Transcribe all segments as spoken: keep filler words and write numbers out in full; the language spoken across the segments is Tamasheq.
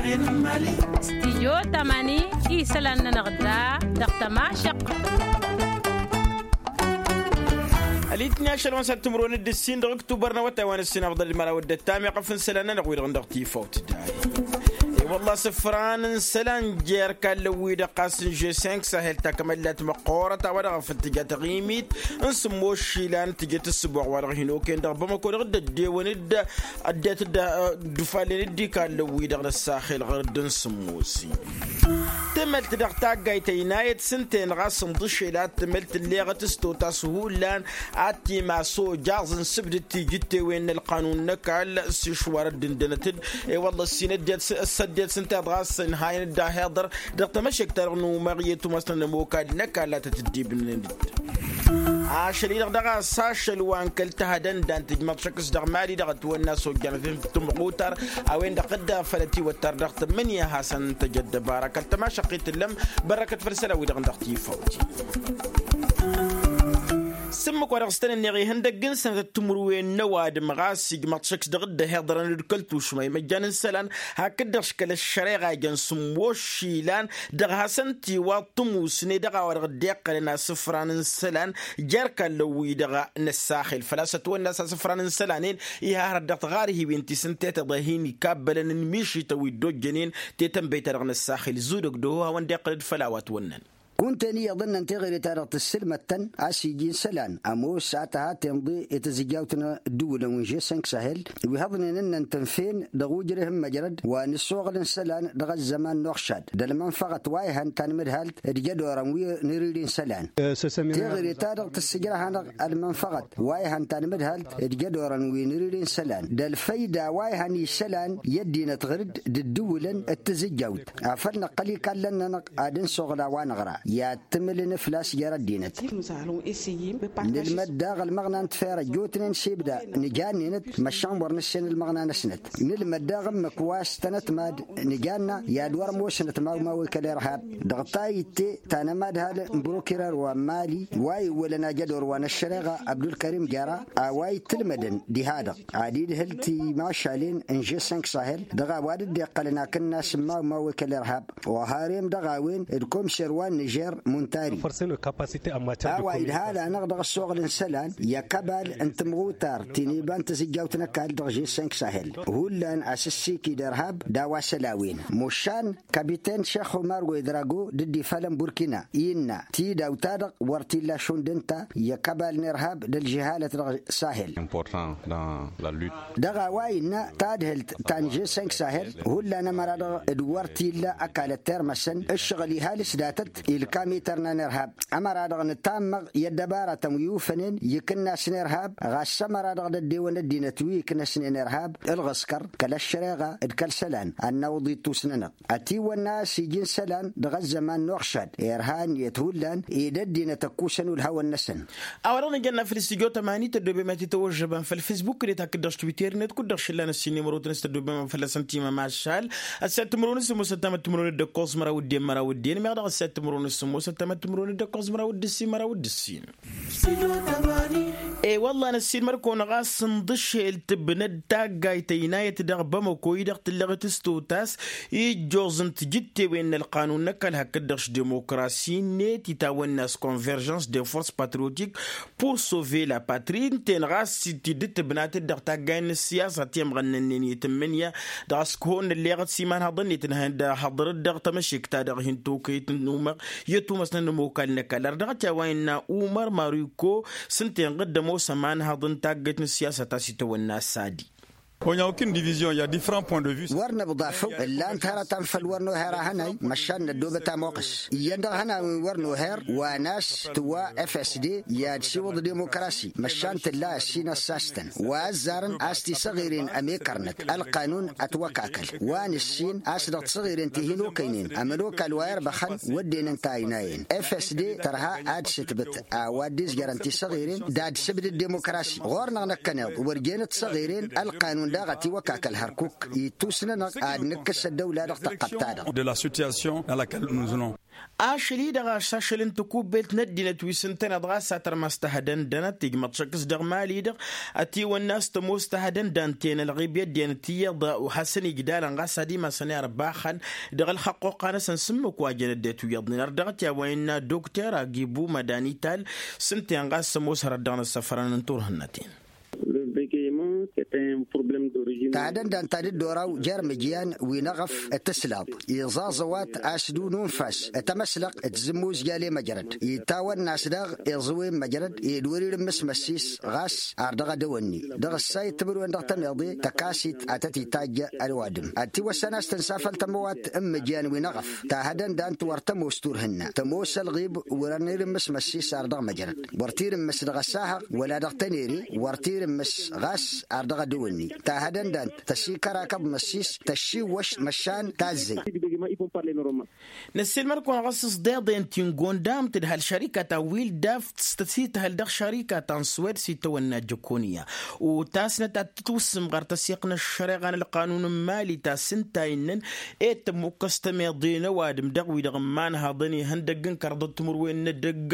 Stijyo tamani isălan-nănăɣ da dăɣ-tămašăq. Ălitni ašăl wa n-săr timǝrwen d-ǝssin dăɣ-ǝktubăr n-awătay wa n-ǝssin afḍăl d-imăraw d-ăttam iɣăf n-isălan-nănăɣ wi-dăɣ dăɣ-tifawt. I-wălla asǝfran n-isălan jer-kallăn-wi-dăɣ ɣas n-žeseng sahel takămăllat măqqoorăt a-wa dăɣ-afăl tǝja taɣimit n-sǝmmos išilan tǝjăt ǝssǝboɣ wa dăɣ-hin-okăyăn dăɣ-bamăko dăɣ-dd-ăddewăn-dd ăddinăt dd-ufalnen dd-ikallăn-wi-dăɣ n-ăssaxel ɣur-dd n-sǝmmosin. Tǝmălt dăɣ-taggayt ăynayăt s-ǝnta-en ɣas ǝnḍǝšel ad-tǝmălt ǝlleɣăt s-totas hullan ad-t-imas ojaẓ n-sǝbdǝd tijǝttewen n-ălqanun n-ăkall s-išwar ăddǝndănăt-dd. I-wălla ăssin ăddinăt s-ăddinăt s-ǝnta-i-dăɣ a-s ǝnhayăn-dd ahǝḍăr dăɣ-tamăšekt-ta-dăɣ n-umăɣ i-tumăsnăn n-ămokal n-ăkall a tăt-dd-ibnǝn-dd. Ašăl-i-dăɣ daɣ a-s ašăl wa n-kăl-tăhădănda n-tǝjmăḍ šăkk s-dăɣ mali dăɣ-ătwănna s-ojjan fim tǝmɣutar a-wen-dăɣ dd-afălăt iwăttar dăɣ-tǝmmǝnǝya hasăn-tăj ăddăbara kăl-tămašăqqit tǝllăm. Bărrăkăt făll-isălan-wi-dăɣ n-dăɣ-tifawt. S-ǝmmǝk wa dăɣ-s tăn-ǝnneɣ ihăndăgg n-sănătăt timǝrwen n-ăwadǝm ɣas ijmăḍ šăkk s-dăɣ-dd-ăhiḍărăn d-kăl-tušma imăjjan n-isălan hakd-dăɣ-š kăl-ăššăreɣa ijăn sǝmmos išilan dăɣ-hasăn-t-iwaḍ tǝmusne dăɣ-a-wa dăɣ-dd-iqqălăn asǝfran n-isălan jer-kallăn-wi-dăɣ n-ăssaxel făl-a-s ătwănna a-s asǝfran n-isălan-en. Iha hărăt dăɣ-tiɣarhiwen ti s-ǝnta i-tiḍehin ikabbălăn n-mišităn wi dd-ojjănen tetănbăy-ta-dăɣ n-ăssaxel zudăg d-oho hawăn-dd-iqqǝl-dd făll-a-wa ătwănnăn. Kunta-en iyyăḍ ǝnnăn teɣăre-ta-dăɣ tǝssǝlmăd-tăn a-s iji n-isălan ămoos a tăha tenḍe i-tǝzǝjjawt n-ǝddǝwǝlăn wi n-žesănk sahel wi hăḍnen ǝnnăn tǝnfen dăɣ-ujreh n-măjrăd wa n-ǝssoɣǝl n-isălan dăɣ-ăzzăman n-uɣšad d-ălmănfăɣăt wa ihăn tanmǝdhalt d-jădorăn wi n-irǝyri n-isălan. Teɣăre-ta-dăɣ tǝssǝjrăh-anăɣ ălmănfăɣăt wa ihăn tanmǝdhalt d-jădorăn wi n-irǝyri n-isălan d-ălfăyda wa ihăn isălan i-ăddinăt ɣǝr-dd d-ǝddǝwǝlăn d-tǝzǝjjawt afăl năqqăl ikallăn-nănăɣ ad-nǝsoɣǝl a-wa năɣra i-ad-tǝmǝlǝn fălla-s jer-ăddinăt. Nǝlmăd daɣ ălmăɣna n-tifera ăjjootnen s-ibda nǝjanninăt măšan wăr nǝssen ălmăɣna-năsnăt. Nǝlmăd daɣ ǝmmǝk wa s-tănătmad nǝjanna i-ad-wăr ămoosnăt mawmawe kăl-irhab dăɣ-tayǝtte ta n-amadhal n-brokirer wa n-mali wa iwwălăn ajădor wa n-ăššăreɣa abdulkărim jara a-wa itǝlmădăn diha-dăɣ ad-idhǝl timašalen n-žesănk sahel dăɣ-a-wa dd-iqqălăn akǝnnas n-mawmawe kăl-irhab oharem dăɣ-a-wen d-komser wa n-nižer muntari. A-wa idhal-anăɣ dăɣ-ăssoɣǝl n-isălan i-ăkăbal n-tǝmɣutar ti n-iba n-tazǝjjawt n-ăkall dăɣ-žesănk sahel hullan asǝssiki d-irhab d-a-wa săl a-wen mušan. Kapiten šex umar wedrago dd-ifalăn burkina innă tidawt-ta-dăɣ wăr t-illa šund ǝnta i-ăkăbal n-irhab d-ălžăhalăt dăɣ-sahel. Dăɣ-a-wa innă tadhǝlt ta n-žesănk sahel hullan ămăra-dăɣ d-wăr t-illa ăkall ăttirmăsăn ǝššăɣǝl ihal s-datăt ilkam itărna n-irhab. Ămăra-dăɣ nǝtammăɣ i-ăddăbaratăn wi ufănen i-ikǝnnas n-irhab ɣas ămăra-dăɣ d-ăddewăn ăddinăt wi iknăsnen irhab ǝlɣǝskăr kăl-ăššăreɣa d-kăl-isălan ad-nawǝḍ ittus-nănăɣ. Ătiwănna a-s iji n-isălan dăɣ-ăzzăman n-uɣšad irha ǝnniyăt hullan ed ăddinăt ăkkusăn ulhawăn-năsăn. A-wa dăɣ-nǝjănna făll-studyo tămani tăddobem ad-t-tăwăžžăbăm făll-fisbuk d-e-t hakd-dăɣ s-twitter-net kud-dăɣ šǝllan ăssin imărotăn s-tăddobem fălla-săn timămašal. Ăssiya timǝrwen s-sǝmmos ăttamăt timǝrwen d-ǝkkoẓ măraw d-en măraw d-en meɣ dăɣ-ăssiya timǝrwen s-sǝmmos ăttamăt timǝrwen d-ǝkkoẓ măraw d-ǝssin măraw d-ǝssin. E-wălla n-ăssiilmăd-kăwăn ɣas ǝnḍǝšel tǝbnăd taggayt ăynayăt dăɣ-bamăko-i-dăɣ tǝllăɣet s-totas ijjoẓ n-tijǝttewen n-ălqanun n-ăkall hakd-dăɣ š-dimokrasi-net itawănna s-konverjăns de force patriotik pour sauver la patrie ǝnta-en ɣas ti dd-tǝbnatăt dăɣ-taggayen n-ǝssiyasa ti ămɣănnănnen i-tǝmmǝnǝya. Dăɣ-s kăhon n-ălleɣăt s-imanhăḍăn-net ǝnhăyăn d-ahăḍrăt dăɣ-tamăšekt-ta-dăɣ hin-tokăyăt n-umăɣ i-ătumăsnăn n-ămokal n-ăkall ar dăɣ-t i-a-wa innă umăr mariko s-ǝnta-en ɣǝdd ămoos ămanhăḍ n-taggăyt n-ǝssiyasăt a-s itawănna s-adi. Wăr nǝbḍafăw ǝllan-t hărătăn făll-wăr noher ahănay măšan năddoobăt amoqqǝs iyyăn dăɣ-ihănawen wăr noher wa n-a-s tǝwwa fsd i-ad-siwǝḍ dimokrasi măšan tǝlla ăssin ăssastăn wa ăzzarăn a-s tisăɣiren ămekărnăt ălqanun ătwăkakăl wa nǝssin a-s dăɣ-tisăɣiren ti hin-okăynen ămănokal wa irbăxăn wădden ǝnta a ăynayen fsd tărha ad-sǝtbǝt a-wa dd-izjărăn tisăɣiren d-ad-sǝbdǝd dimokrasi ɣur-năɣ năkkăneḍ wăr jenăt tisăɣiren ălqanun. Daɣ ătiwăkak ălhărkuk ittusnănăɣ ad-nǝkkǝs ăddăwla dăɣ-tăqqăbt-ta-dăɣ. De la situation dans laquelle nous venons. Ašăl-i-dăɣ a-s ašăl n-takubbelt n-ăddinăt wi s-ǝntăneḍ ɣas a tărmas tahădăndănăt ijmăḍ šăkk s-dăɣ mali-dăɣ. Ătiwănna a-s tămoos tahădăndant-en ălɣibya ăddinăt iyyăḍ hasăn-ijdalăn ɣas ad-imasăn irbaxăn dăɣ-ălxăqquqa-năsăn s-ǝmmǝk wa jăn ăddinăt wi iyyăḍnen ărdăɣăt i-a-wa innă dokter agibu mădanital. S-ǝnta-en ɣas ămoos hărăt dăɣ-năssăfărăn n-turhǝnnăt-en. Tahădăndant ta dd-oraw jer-imǝjyan wi n-eɣăf tǝslaḍ iẓaẓ ăwat a-s d-ununfas, tamăslăɣt tǝzzǝmmuzjal i-măjrăd itawănna a-s daɣ iẓǝwen măjrăd ed wăr-irǝmmǝs măssis ɣas ar dăɣ-edăwănni dăɣ-ǝssay d-timǝrwen dăɣ-tămiḍe tăkasit ad-tăt-itajj ăwadǝm ad-tiwăssan a-s tǝnsafăl tămăwat n-imǝjyan wi n-eɣăf. Tahădăndant wăr tămoos turhǝnna tămoos ălɣib wăr-ănirǝmmǝs măssis ar dăɣ-măjrăd wăr t-irǝmmǝs dăɣ-ăssahăɣ wăla dăɣ-tănere wăr t-irǝmmǝs ɣas ar dăɣ-edăwănni. Tahădăndant tăsikărakăḍ măssis tăššiwwăš măšan tazzăy. Năssiilmăr-kăwăn ɣas s-deḍen ti n-gondam tǝdhăl šărikat ta wildaf s-tăsităhăl dăɣ-šărikat ta n-swed s-itawănna jăkoniya. Utasnăt ad-tǝtwǝssǝm ɣăr tăsiqnăš šăreɣa n-ălqanun n-mali ta s-ǝnta innăn ed tămmukkăs tămeḍe n-ăwadǝm dăɣ-wi-dăɣ n-imanhăḍăn ihăndăgg n-kărḍăt timǝrwen n-edăgg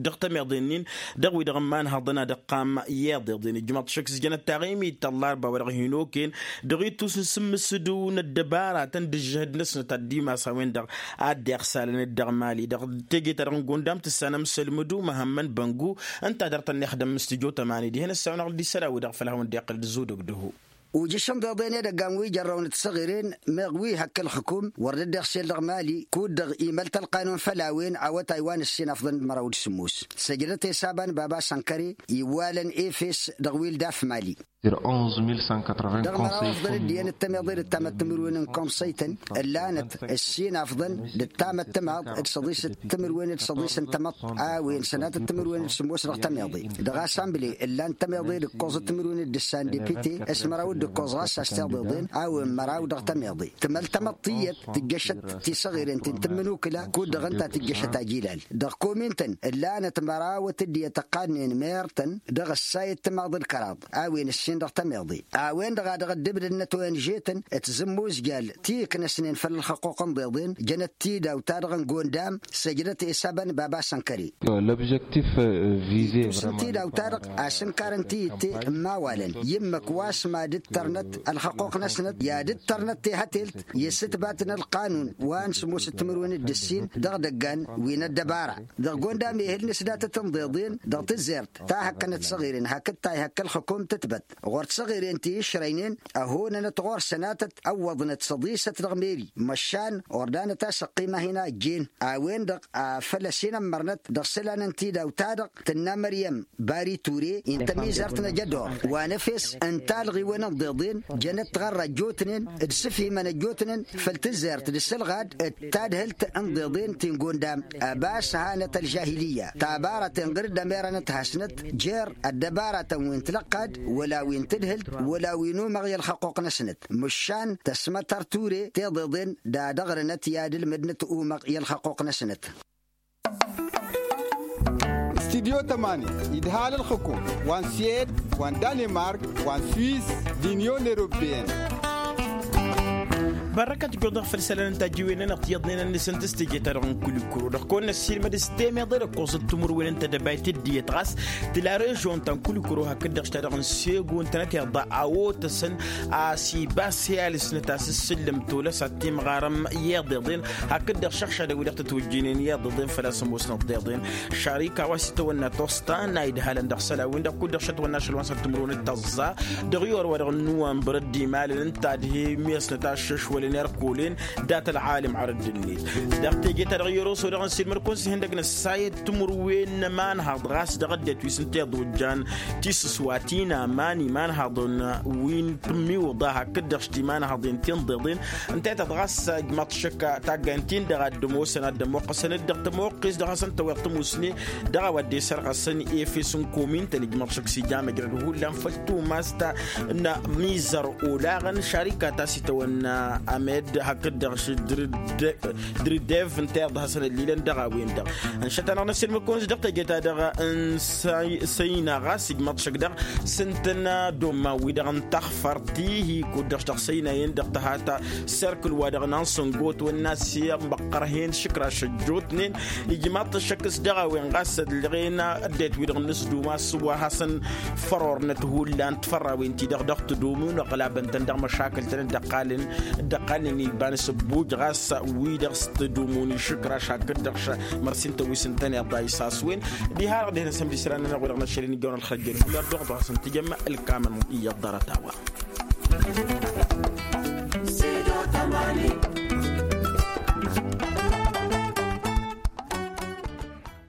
dăɣ-tămeḍe-nin dăɣ-wi-dăɣ n-imanhăḍăn ad-ǝqqam i-iḍeḍen ijmăḍ šăkk s-jănăt taɣimit tăllarba wa dăɣ-hin-okăyăn dăɣ-ittus n-sǝmmǝsǝdu n-ăddăbaratăn d-ǝžžăhăd-năsnăt ad-dd-imas a-wen-dăɣ ad-dd-iɣsalăn d-dăɣ mali dăɣ-teje-ta-dăɣ n-gondam tǝssanăm sălmǝdu măhămmăn băngu. Ǝnta a dăr-tăn-ixdăm s-tǝjo tămani dihen ăssawăn-aɣ-dd-isălan wi-dăɣ făll-hawăn-dd-iqqǝl d-zudăgdăhu. Ujǝš n-iḍeḍen edăgg n-wi jărrăwăn d-tiṣăɣiren meɣ wi hăkk ǝlxǝkum wăr dd-iɣsel dăɣ-mali kud-dăɣ imăl-t ălqanun făll-a-wen awătay wa n-ǝssin afḍăn d-măraw d-sǝmmos. Săjdăt i-saba n-baba sănkăre iwwalăn efes dăɣ-wildaf mali. Dăɣ-măraw afḍăn d-iyyăn d-tămeḍe d-tamăḍt timǝrwen n-konsăy-tăn ǝllanăt ǝssin afḍăn d-tamăḍt timaḍ d-săḍisăt timǝrwen d-săḍis n-tamăḍt a-wen sănatăt timǝrwen d-sǝmmos dăɣ-tămeḍe dăɣ-asamble ǝllan tămeḍe d-ǝkkoẓăt timǝrwen d-ǝssan depite s-măraw d-ǝkkoẓ ɣas a-s tiḍeḍen a-wen măraw dăɣ-tămeḍe. Tǝmăl tamăḍt tiyyăt tǝjjăšăt tiṣăɣiren ti n-tǝmmǝnukǝla kud-dăɣ ǝnta tǝjjăšăt ajilal dăɣ-komin-tăn ǝllanăt mărawăt d-iyyăt ăqqadnen mer-tăn dăɣ-ǝssay d-timaḍ d-kăraḍ a-wen ǝssin dăɣ-tămeḍe. A-wen-dăɣ a dăɣ-ăddǝbdădnăt onže-tăn d-tǝzǝmmuzjal ti ǝknăsnen făll-ălxăqquq n-iḍeḍen jănăt tidawt-ta-dăɣ n-gondam. Săjdăt i-saba n-baba sănkăre. L'objectif vize. Ittus n-tidawt-ta-dăɣ asǝnkar n-tiyǝtte n-imawalăn i-ǝmmǝk wa s-mad-ǝttărnăt ălxăqquq-năsnăt i-ad-ǝttărnăt tehătelt i-ǝssǝtbat n-ălqanun wa n-sǝmmosăt timǝrwen d-ǝssin dăɣ-idăggan wi n-ăddăbara. Dăɣ-gondam ehǝl n-asdatăt n-iḍeḍen dăɣ-tǝzzert ta hăkkănăt tiṣăɣiren hakd ta ihăkk ălxǝkum tǝtbăt ɣur-tiṣăɣiren ti išrăynen ăhonănăt ɣur-săn a tăt-ăwwăḍnăt săḍisăt dăɣ-meri măšan ordanăt a-s ăqqima hin-a ăjjeen. A-wen-dăɣ a făl ăsinămmărnăt dăɣ-isălan n-tidawt-ta-dăɣ tǝnna măryăm bari ture i n-tămizărt n-ajădor wa n-efes n-talɣiwen n-iḍeḍen jănăt tiɣărra ăjjootnen d-isǝfhimăn ăjjootnen făll-tǝzzert d-isǝlɣad d-tadhǝlt n-iḍeḍen ti n-gondam. Ăbas hanăt ălžahiliyya tabaratăn ɣǝr-dd ămerănăt hasnăt jer-ăddăbaratăn wi n-tilăqqad wăla wi n-tadhǝlt wăla wi n-umăɣ i-ălxăqquq-năsnăt. Măšan tăsmătăr ture tiḍeḍen d-ad-ăɣrǝnăt i-ad-ǝlmǝdnăt umăɣ i-ălxăqquq-năsnăt. Studyo tămani idhal ǝlxǝkum wa n-siyed wa n-danimark wa n-swis d-inyon eropeyăn. Bărrăkăt ǝjjuḍ-dăɣ făll-isălan n-tajjiwen-nănăɣ tiyyăḍnen ănnăsăn tǝstǝje-ta-dăɣ n-kulikuro dăɣ-kăwăn-năssiilmăd s-temeḍe d-ăkkoẓăt timǝrwen n-tedăbayt d-iyyăt ɣas tǝla režon ta n-kulikuro hakd-dăɣ šita dăɣ-n sego ǝntănăt iḍa a-otăsăn a-s iba s-e-alǝsnăt a-s ǝssǝllǝm tolăs ad-timɣarăm i-iḍeḍen hakd-dăɣ šăɣšadăn wi-dăɣ tătwǝjjǝynen i-iḍeḍen făl-a-s ămoosnăt d-iḍen. Šarika wa s-itawănna tosta n-a idhalăn dăɣ-isălan-win-dăɣ kud-dăɣ šătwănna ašăl wa n-săr timǝrwen d-tăẓẓa dăɣ-i orwa dăɣ-nuwănbăr ăddimalăn ǝnta ad-he-mesnăt aššăšwălăn erkolen dat-ălɣalǝm arădd-net. Dăɣ-teje-ta-dăɣ i-oroso dăɣ-nǝssin măr-kăwăn-s ihăndăg n-ăssayăt timǝrwen n-ămanhăḍ ɣas dăɣ-ăddinăt wi s-ǝnta iḍojjan tisǝswa ti n-aman imanhăḍăn wi n-tǝmmiwǝḍa hakd-dăɣ s-timanhăḍen ti n-ḍeḍen. Ǝnta i-tad-ɣas ǝjmaḍ-t šăkk taggayn-tin-dăɣ ad-dd-ămoosăn ad-dd-ămoqqăsăn-dd dăɣ-tămoqqest dăɣ-hasăn-tăweḍ tămusne dăɣ-a-wa dd-esărɣăsăn efes n-komin-tăn ǝjmaḍ šăkk s-ija măjrăd hullan făll-tumast n-amizăr olaɣăn šarikat a-s itawănna Amed hakd-dăɣ s-driddev ǝnta iḍhăsăn ăllilăn dăɣ-a-wen-dăɣ. Ǝnšăt-anăɣ n-asǝlmǝkun s-dăɣ teje-ta-dăɣ n-săyna ɣas ijmăḍ šăk-dăɣ s-ǝntăn domma-wi-dăɣ n-taxfărt ti-hi kud-dăɣ s-dăɣ săyna-en-dăɣ tăhat serkǝl-wa-dăɣ n-ansǝngot wănna s-imăqqărhen šǝkraš ăjjootnen. Ijmaḍ-t ăššăk s-dăɣ-a-wen ɣas ădlăɣen ăddinăt-wi-dăɣ n-asdum a-s wa hasăn-fărornăt hullan tifărrawen-ti-dăɣ dăɣ-tǝdumun ăɣlabăn-tăn dăɣ-măšakǝl-tăn dd-ăqqalnen iba n-asǝbbuj ɣas wi-dăɣ s-tǝdumun išǝkraš hakd-dăɣ. Mărsin tăwis n-tăn iḍa isaswen diha-dăɣ dihen asǝmdisran-nănăɣ wi-dăɣ n-ašăl-in ijjăwăn ălxăjjăl hullan dăɣ-ḍasăn tijăm ălkamăn iyyăḍ ḍarăt-a-wa.